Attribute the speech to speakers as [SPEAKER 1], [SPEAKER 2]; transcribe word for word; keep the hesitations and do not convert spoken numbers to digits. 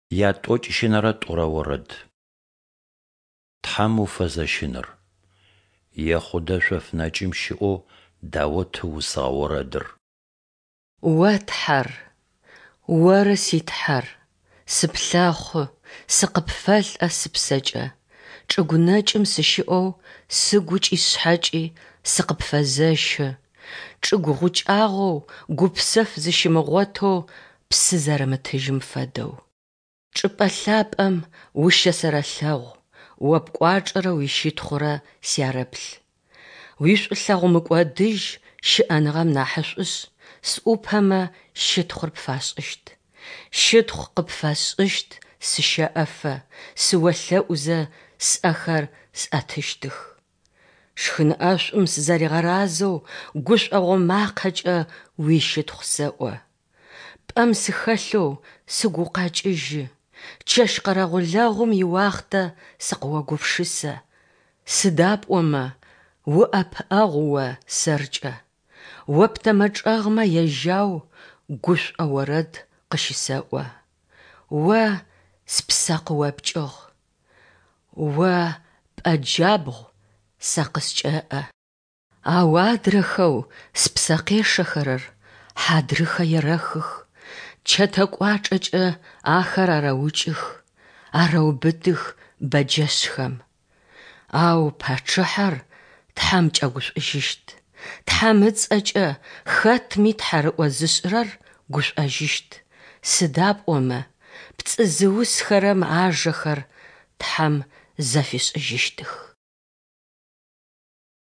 [SPEAKER 1] Ятӏокӏищынэрэ тӏурэ орэд. Тхьэм уфэзэщыныр. Ехъудэ шъоф нэкӏым щыӏэу Даут ыусыгъэ орэдыр.
[SPEAKER 2] О Тхьэр, оры си Тхьэр, сыплъэхъу, сыкъыпфэлӏэ сыпсэкӏэ, чӏыгу нэкӏым сыщыӏэу сыгукӏи сшъхьэкӏи сыкъыпфэзэщы, чӏыгу гъукӏагъэу гупсэф зыщимыгъотэу псы зэрымытыжьым фэдэу. Чӏыпӏэ лъапӏэм ущэсэрэлъэгъу, О пкӏуачӏэрэ уищытхъурэ сярэплъ. Уишӏулъэгъу мыкӏодыжь щыӏэныгъэм нахьышӏушъ, сӏупэмэ щытхъур пфашӏыщт. Щытхъу къыпфэсшӏыщт сыщэӏэфэ, сыолъэӏузэ сӏэхэр сӏэтыщтых. Шхын ӏэшӏум сызэригъэразэу гушӏогъо макъэкӏэ уищытхъу сэӏо. Пӏэм сыхэлъэу сыгу укъэкӏыжьы, чэщ къэрэгъулэгъум иуахътэ сыкъыогупшысэ. Сыда пӏомэ уӏэпыӏэгъу О сэркӏэ, О птэмэ чӏэгъмэ яжьау гушӏо орэд къыщысэӏо. О спсэ къыопкӏыгъ, О пӏэ джабгъу сэ къыскӏэӏэ. Ау адрэхэу спсэ къешэхэрэр хьадрыхэ ерэхых, чэтэ кӏуачӏэкӏэ ахэр арэукӏых, арэубытых бэджэшъхэм. Ау пачъыхьэр Тхьэм кӏэгушӏужьыщт, Тхьэм ыцӏэкӏэ хэтми тхьарыӏо зышӏырэр гушӏожьыщт, сыда пӏомэ пцӏы зыусхэрэм ажэхэр Тхьэм зэфишӏыжьыщтых.